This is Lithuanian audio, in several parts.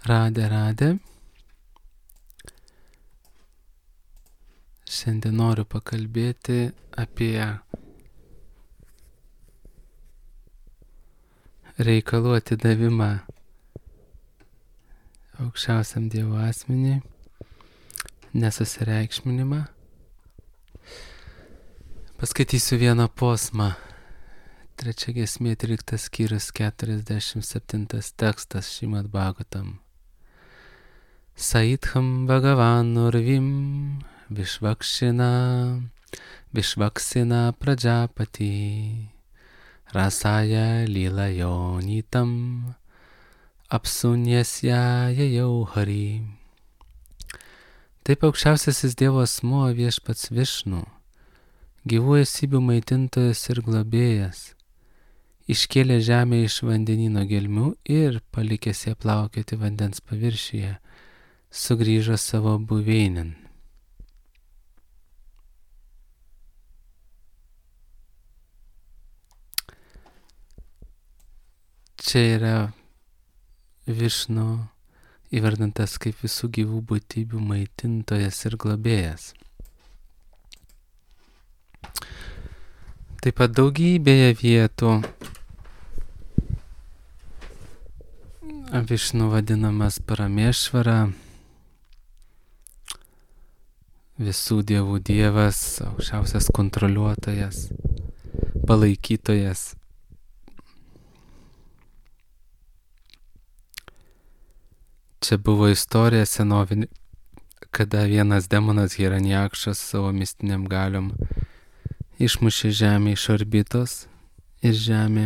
Radė. Šiandien noriu pakalbėti apie reikalų atidavimą aukščiausiam Dievo asmeniui, nesusireikšminimą. Paskaitysiu vieną posmą. 3 giesmė, 13 skyrius, 47 tekstas Šrimad Bhagavatam. Saitham Bhagavan Urvim Vishvaksina Prajapati Rasaya Lilayo Nitam Apsunyasya Jajau Hari. Taip aukščiausiasis Dievo asmuo Viešpats Višnu, gyvų esybių maitintojas ir globėjas, iškėlė žemę iš vandenyno gelmių ir, palikęs ją plaukioti vandens paviršiuje, sugrįžo savo buveinėn. Čia yra Višnu įvardintas kaip visų gyvų būtybių maitintojas ir globėjas. Taip pat daugybėje vietų Višnu vadinamas Paramešvara, visų dievų dievas, aukščiausias kontroliuotojas, palaikytojas. Čia buvo istorija senovinė, kada vienas demonas Hiranjakšas savo mistiniam galiom išmušė žemę iš orbitos ir žemė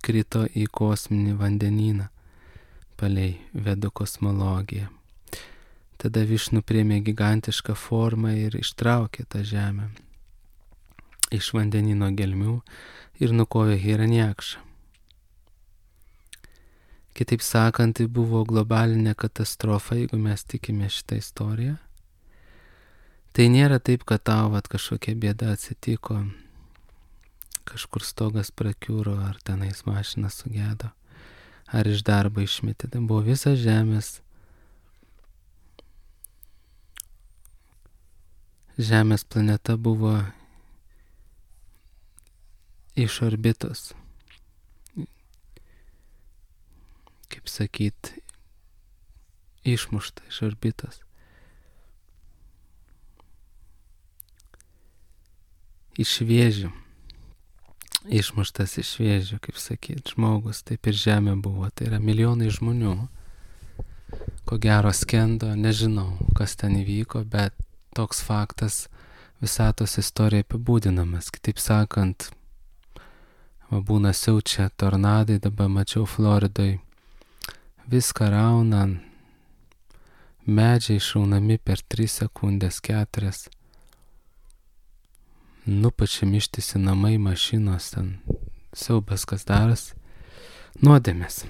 krito į kosminį vandenyną palei Vedų kosmologiją. Tada Višnu priėmė gigantišką formą ir ištraukė tą žemę iš vandenyno gelmių ir nukovė Hiranjakšą. Kitaip sakant, tai buvo globalinė katastrofa, jeigu mes tikime šitą istoriją. Tai nėra taip, kad tau kažkokia bėda atsitiko, kažkur stogas prakiūro, ar tenais mašina sugedo, ar iš darbo išmetė. Tai buvo visas Žemės planeta buvo iš orbitos. Kaip sakyt, išmušta iš orbitos. Iš vėžių. Išmuštas iš vėžių, kaip sakyt, žmogus, taip ir Žemė buvo. Tai yra milijonai žmonių. Ko gero skendo, nežinau, kas ten įvyko, bet toks faktas visatos istorija apibūdinamas. Kitaip sakant, būna siaučia tornadai, dabar mačiau Floridoj, viską rauna, medžiai šaunami per 3 sekundės, 4. Nupačiam ištisi namai, mašinos, ten siaubas kas daras. Nuodėmės,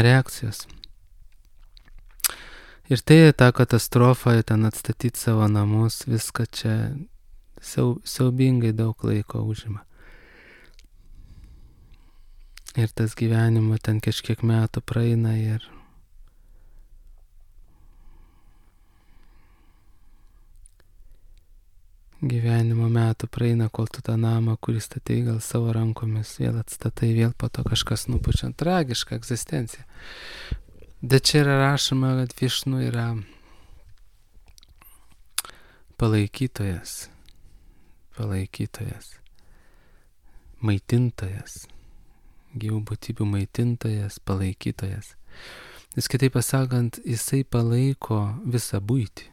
reakcijos. Ir tai ta katastrofa, ten atstatyti savo namus, viską čia siaubingai daug laiko užima. Ir tas gyvenimo ten kažkiek metų praeina ir gyvenimo metų praeina, kol tu tą namą, kurį statai gal savo rankomis, vėl atstatai, vėl po to kažkas nupučiant. Tragiška egzistencija. Bet čia yra rašoma, kad Višnu yra palaikytojas, maitintojas, gyvų būtybių maitintojas, palaikytojas. Jis kitaip pasakant, jisai palaiko visą buitį.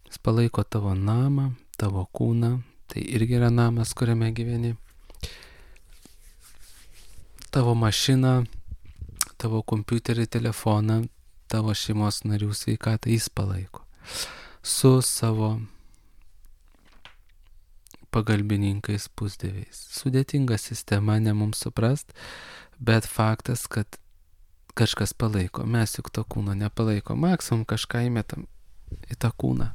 Jis palaiko tavo namą, tavo kūną, tai irgi yra namas, kuriame gyveni. Tavo mašiną, tavo kompiuterį, telefoną, tavo šeimos narių sveikatą jis palaiko. Su savo pagalbininkais, pusdieviais. Sudėtinga sistema, ne mums suprast, bet faktas, kad kažkas palaiko. Mes juk to kūno nepalaiko. Maksimum kažką įmetam į tą kūną.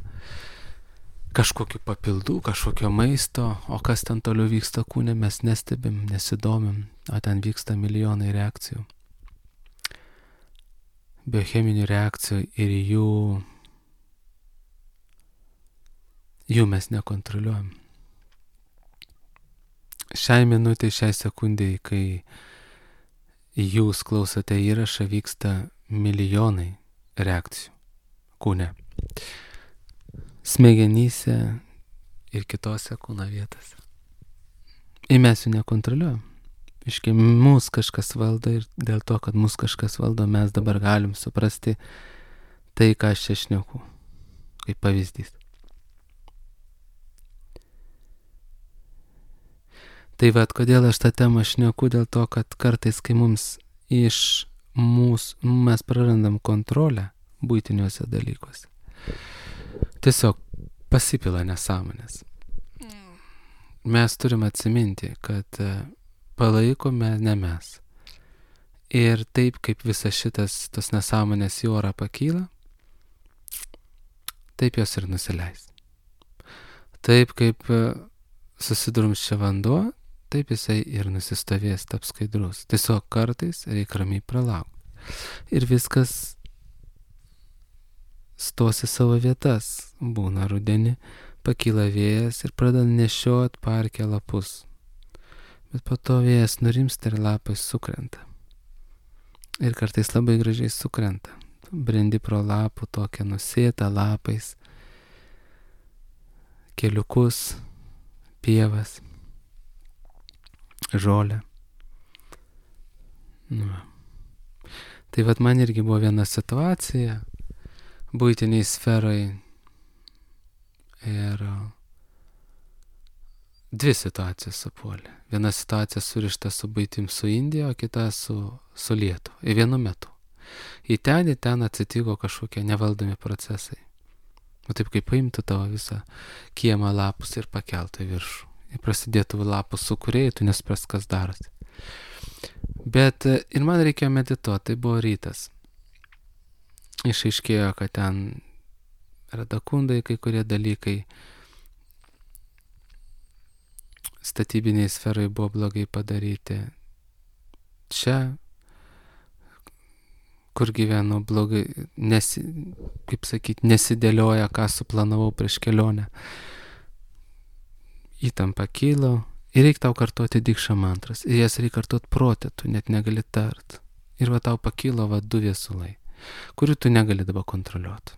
Kažkokių papildų, kažkokio maisto, o kas ten toliau vyksta kūne, mes nestebim, nesidomim, o ten vyksta milijonai reakcijų. biocheminių reakcijų ir jų mes nekontroliuojam. Šiai minutė, šiai sekundėjai, kai jūs klausote įrašą, vyksta milijonai reakcijų kūne, smegenyse ir kitose kūno vietose. Ir mes jų nekontroliuojam. Iškai, mūsų kažkas valdo ir dėl to, kad mūsų kažkas valdo, mes dabar galim suprasti tai, ką aš čia šneku, kaip pavyzdys. Tai vat, kodėl aš tą temą šneku, dėl to, kad kartais, kai mums mes prarandam kontrolę buitiniuose dalykuose, tiesiog pasipila nesąmonės. Mes turim atsiminti, kad palaikome ne mes. Ir taip, kaip visas tos nesąmonės į orą pakyla, taip jos ir nusileis. Taip, kaip susidrumsčia vanduo, taip jisai ir nusistovės, taps skaidrus. Tiesiog kartais reikia ramiai pralaukti. Ir viskas stos į savo vietas. Būna rudenį, pakyla vėjas ir pradeda nešiot parke lapus. Bet po to vėjas nurimsta ir lapai sukrenta. Ir kartais labai gražiai sukrenta. Brendi pro lapų tokią nusėtą lapais, keliukus, pievas, žolę. Tai vat man irgi buvo viena situacija buitiniai sferai ir dvi situacijos supuolė. Viena situacija surišta su buitim su Indija, o kita su Lietuva. Ir vienu metu. Į ten atsitiko kažkokie nevaldomi procesai. O taip kaip paimtų tavo visą kiemą lapus ir pakeltų į viršų. Ir prasidėtų lapų sukūrėjai, tu nespras, kas darosi. Bet ir man reikėjo medituoti, tai buvo rytas. Išaiškėjo, kad ten radakundai, kai kurie dalykai statybiniai sferai buvo blogai padaryti. Čia, kur gyvenu, blogai, nesidėlioja, ką suplanavau prieš kelionę. Įtampa kilo ir reikia tau kartuoti dikšą mantras. Ir jas reikia kartuoti protė, tu net negali tart. Ir va tau pakilo du viesulai, kurių tu negali dabar kontroliuoti.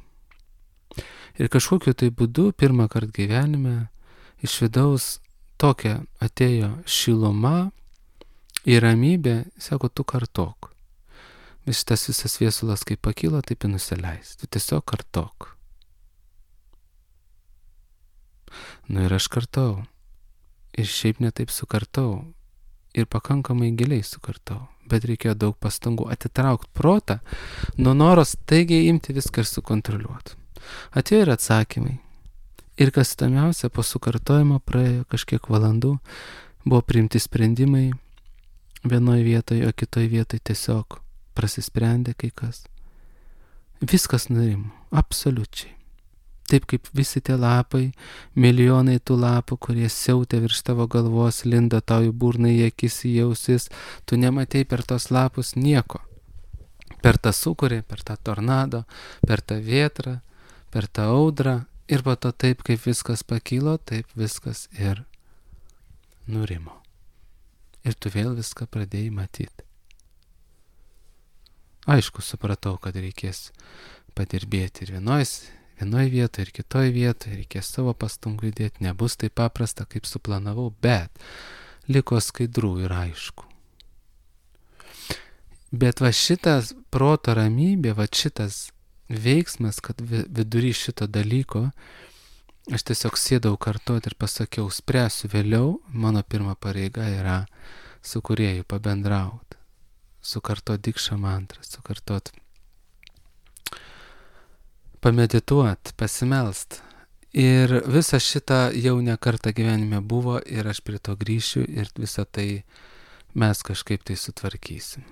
Ir kažkokiu tai būdu, pirmą kartą gyvenime, iš vidaus tokia atėjo šiluma ir ramybė, sako, tu kartok. Vis šitas visas viesulas, kaip pakilo, taip ir nusileis. Tu tiesiog kartok. Ir aš kartau. Ir šiaip netaip sukartau. Ir pakankamai giliai sukartau. Bet reikėjo daug pastangų atitraukti protą nuo noros taigiai imti viską ir sukontroliuoti. Atėjo ir atsakymai. Ir kas įdomiausia, po sukartojimo praėjo kažkiek valandų, buvo priimti sprendimai vienoje vietoje, o kitoje vietoje tiesiog prasisprendė kai kas. Viskas nurimo, absoliučiai. Taip kaip visi tie lapai, milijonai tų lapų, kurie siautė virš tavo galvos, lindo tau į burną, į akis, į ausis, tu nematei per tos lapus nieko. Per tą sūkurį, per tą tornado, per tą vėtrą, per tą audrą. Ir po to taip, kaip viskas pakilo, taip viskas ir nurimo. Ir tu vėl viską pradėjai matyti. Aišku, supratau, kad reikės padirbėti ir vienoje vietoje, ir kitoje vietoje, reikės savo pastangų įdėti, nebus taip paprasta, kaip suplanavau, bet liko skaidrų ir aišku. Bet va šitas proto ramybė, va šitas veiksmas, kad vidury šito dalyko aš tiesiog sėdau kartuoti ir pasakiau, spręsiu vėliau, mano pirma pareiga yra su kūrėju pabendrauti, sukartot dikšą mantrą, sukartot, pamedituot, pasimelst. Ir visa šita jau ne kartą gyvenime buvo ir aš prie to grįšiu ir visą tai mes kažkaip tai sutvarkysim.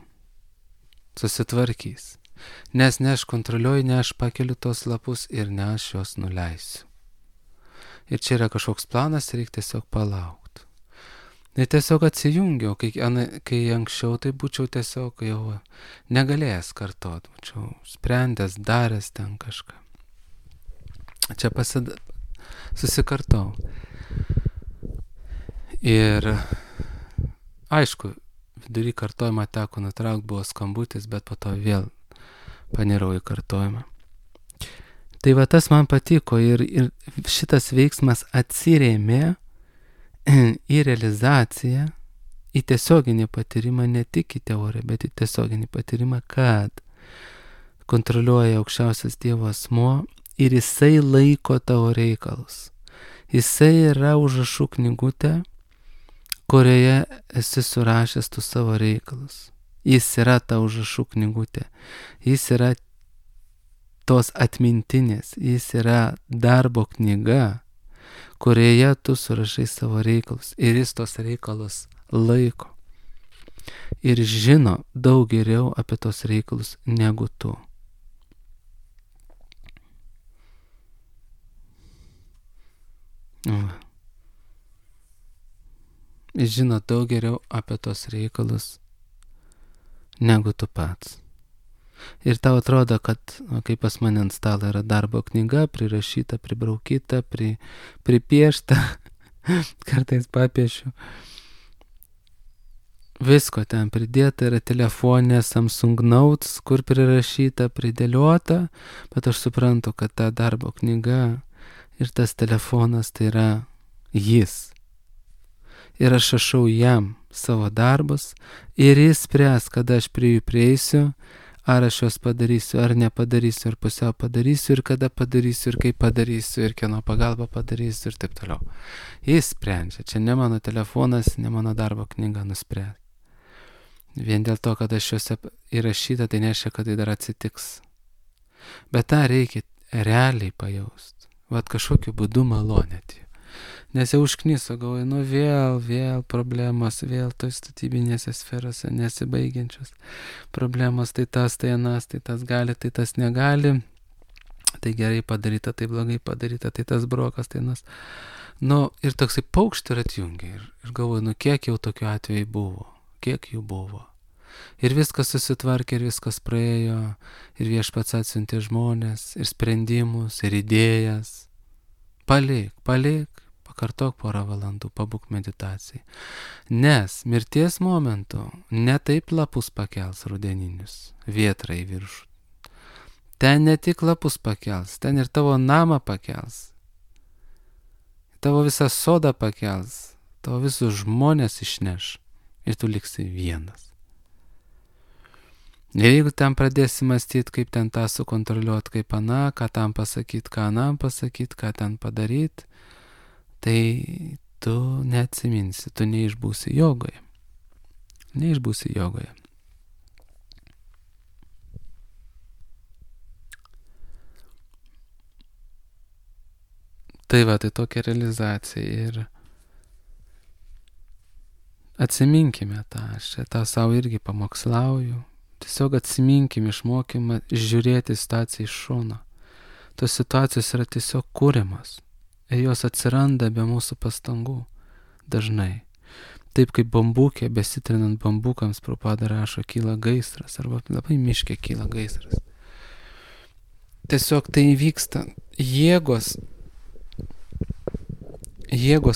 Susitvarkys. Nes ne aš kontroliuoju, ne aš pakeliu tos lapus ir ne aš juos nuleisiu. Ir čia yra kažkoks planas, reikia tiesiog palaukti. Tai tiesiog atsijungiau, kai anksčiau tai būčiau tiesiog jau negalėjęs kartot, būčiau sprendęs, daręs ten kažką. Čia susikartau. Ir aišku, vidury kartojimą teko nutraukti, buvo skambutis, bet po to vėl panirau į kartojimą. Tai va tas man patiko ir šitas veiksmas atsirėmė į realizaciją, į tiesioginį patyrimą, ne tik į teoriją, bet į tiesioginį patyrimą, kad kontroliuoja aukščiausias Dievo asmuo ir jisai laiko tavo reikalus. Jisai yra užrašų knygutė, kurioje esi surašęs tu savo reikalus. Jis yra ta užrašų knygutė. Jis yra tos atmintinės. Jis yra darbo knyga, kurioje tu surašai savo reikalus. Ir jis tos reikalus laiko. Ir žino daug geriau apie tos reikalus negu tu. Jis žino daug geriau apie tos reikalus negu tu pats. Ir tau atrodo, kad kaip pas mane ant stalo yra darbo knyga, prirašyta, pribraukyta, pripiešta, kartais papiešiu. Visko ten pridėta, yra telefonė Samsung Notes, kur prirašyta, pridėliota, bet aš suprantu, kad ta darbo knyga ir tas telefonas tai yra jis. Ir aš rašau jam savo darbus ir jis spręs, kada aš prie jų prieisiu, ar aš juos padarysiu, ar nepadarysiu, ar pusiau padarysiu, ir kada padarysiu, ir kaip padarysiu, ir kieno pagalba padarysiu, ir taip toliau. Jis sprendžia. Čia ne mano telefonas, ne mano darbo knyga nuspręs. Vien dėl to, kad aš juose įrašyta, tai nereiškia, kad tai dar atsitiks. Bet tą reikia realiai pajausti. Vat kažkokiu būdu malonėti. Nes jau užkniso, galvoju, vėl problemos, vėl toj statybinėse sferose nesibaigiančios problemos, tai tas, tai anas, tai tas gali, tai tas negali, tai gerai padaryta, tai blogai padaryta, tai tas brokas, tai anas. Ir toksai paukštį ir atjungia. Ir galvoju, kiek jau tokių atvejų buvo, kiek jų buvo. Ir viskas susitvarkė, ir viskas praėjo, ir Viešpats atsiuntė žmonės, ir sprendimus, ir idėjas. Palik. Pakartok porą valandų, pabūk meditacijai. Nes mirties momentu ne taip lapus pakels rudeninius, vėtrą į viršų. Ten ne tik lapus pakels, ten ir tavo namą pakels. Tavo visą sodą pakels, tavo visus žmonės išneš ir tu liksi vienas. Ir jeigu ten pradėsi mąstyti, kaip ten tą sukontroliuoti, kaip aną, ką tam pasakyti, ką anam pasakyti, ką ten padaryti, tai tu neatsiminsi, tu neišbūsi jogoje. Tai va, tai tokia realizacija ir atsiminkime tą, aš tą savo irgi pamokslauju, tiesiog atsiminkim išmokimą žiūrėti situaciją iš šono. Tos situacijos yra tiesiog kūrimas. Ir jos atsiranda be mūsų pastangų dažnai. Taip kaip bambukė, besitrinant bambukams, Prabhupada rašo, kyla gaisras, arba labai miške kyla gaisras. Tiesiog tai vyksta. Jėgos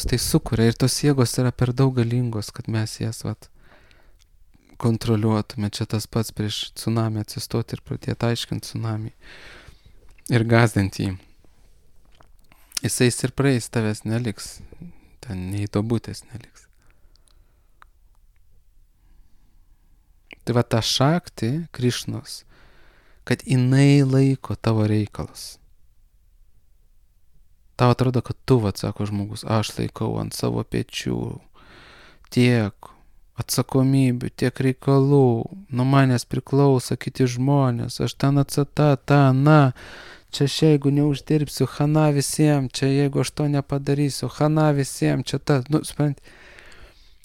tai sukuria ir tos jėgos yra per daug galingos, kad mes jas kontroliuotume. Čia tas pats prieš tsunami atsistoti ir pradėti aiškinti tsunami ir gąsdinti jį. Jisai ir praeis, tavęs neliks, ten nei to būtės neliks. Tai va ta šakti Krišnos, kad jinai laiko tavo reikalus. Tau atrodo, kad tu, sako žmogus, aš laikau ant savo pečių tiek atsakomybių, tiek reikalų, nuo manęs priklauso kiti žmonės, aš ten atsata, na. Čia jeigu neuždirbsiu, hana visiems, čia jeigu aš to nepadarysiu, hana visiems, čia ta, supranti,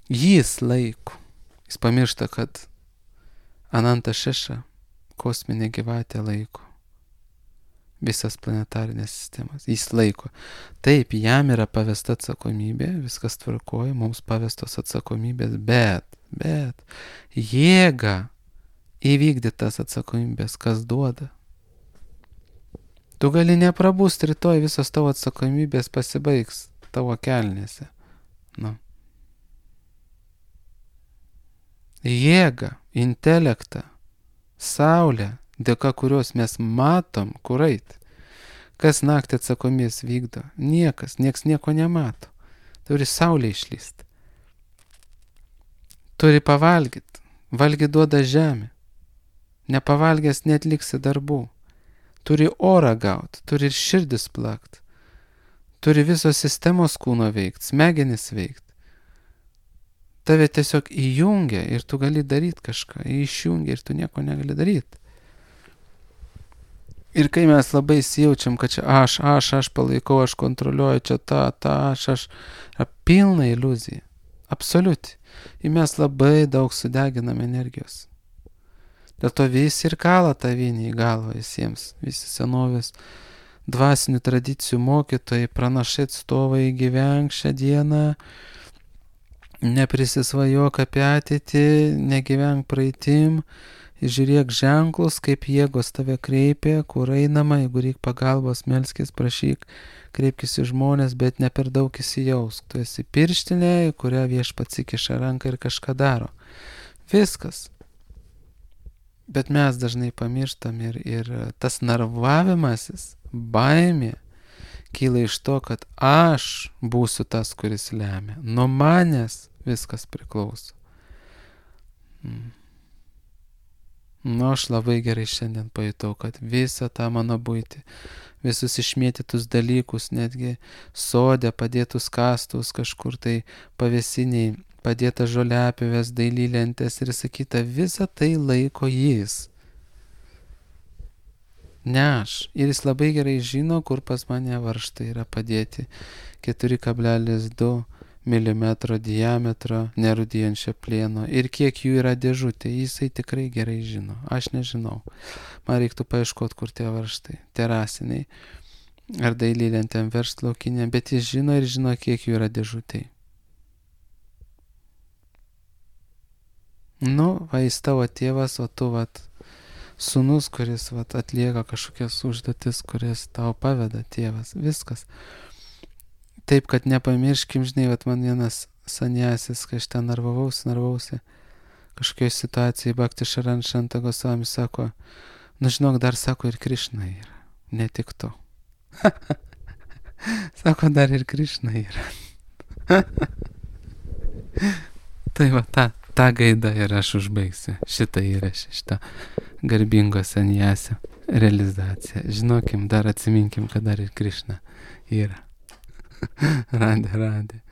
jis laiko. Jis pamiršta, kad Ananta Šeša, kosminė gyvatė laiko. visas planetarinės sistemas. Jis laiko. Taip, jam yra pavesta atsakomybė, viskas tvarkoja, mums pavestos atsakomybės, bet jėga įvykdyti tas atsakomybės, kas duoda. Tu gali neprabūst, rytoj visos tavo atsakomybės pasibaigs tavo kelnėse. Nu. Jėga, intelektą, saulę, dėka kurios mes matom, kur eit. Kas naktį atsakomės vykdo? Niekas, nieks nieko nemato. Turi saulė išlyst. Turi pavalgyt. Valgyt duoda žemė. Nepavalgęs netliksi darbų. Turi orą gaut, turi ir širdis plakt. Turi visos sistemos kūno veikt, smegenis veikt. Tave tiesiog įjungia ir tu gali daryti kažką. Išjungia ir tu nieko negali daryti. Ir kai mes labai įsijaučiam, kad čia aš palaikau, aš kontroliuoju, čia aš, pilna iliuzija. Absoliuti. Ir mes labai daug sudeginam energijos. Dėl to visi ir kala tą vinį į galvą visiems. Visi senovės dvasinių tradicijų mokytojai, pranašai atstovai, gyvenk šią dieną, neprisisvajok apie ateitį, negyvenk praeitim, žiūrėk ženklus, kaip jėgos tave kreipia, kur einama, jeigu reik pagalbos, melskis, prašyk, kreipkis į žmonės, bet ne per daug įsijausk. Tu esi pirštinė, į kurią viešpats įkiša ranką ir kažką daro. Viskas. Bet mes dažnai pamirštam ir tas narvavimasis, baimė, kyla iš to, kad aš būsiu tas, kuris lemia. Nuo manęs viskas priklauso. Nu, aš labai gerai šiandien pajutau, kad visą tą mano buitį, visus išmėtytus dalykus, netgi sode padėtus kastus, kažkur tai pavėsiniai, padėta žoliapjovės, dailylentės ir sakyta, visą tai laiko jis. Ne aš. Ir jis labai gerai žino, kur pas mane varžtai yra padėti 4,2 mm diametro nerūdijančio plieno ir kiek jų yra dėžutė, jisai tikrai gerai žino. Aš nežinau. Man reiktų paieškoti, kur tie varžtai, terasiniai ar dailylentėm verslaukinė, bet jis žino ir žino, kiek jų yra dėžutėj. Nu, va, jis tavo tėvas, o tu, sūnus, kuris, atlieka kažkokias užduotis, kurias tau paveda tėvas. Viskas. Taip, kad nepamirškim, žinai, man vienas sanjasis, kai aš ten narvausi, kažkokioj situacijai, Bhakti Šaran Šanta Gosvami sako, nu žinok, dar sako ir Krišna yra, ne tik tu. Sako, dar ir Krišna yra. Tai tą gaidą ir aš užbaigsiu. Šitą įrašą, šitą garbingo sanjasio realizaciją. Žinokim, dar atsiminkim, kad dar ir Krišna yra. Radė.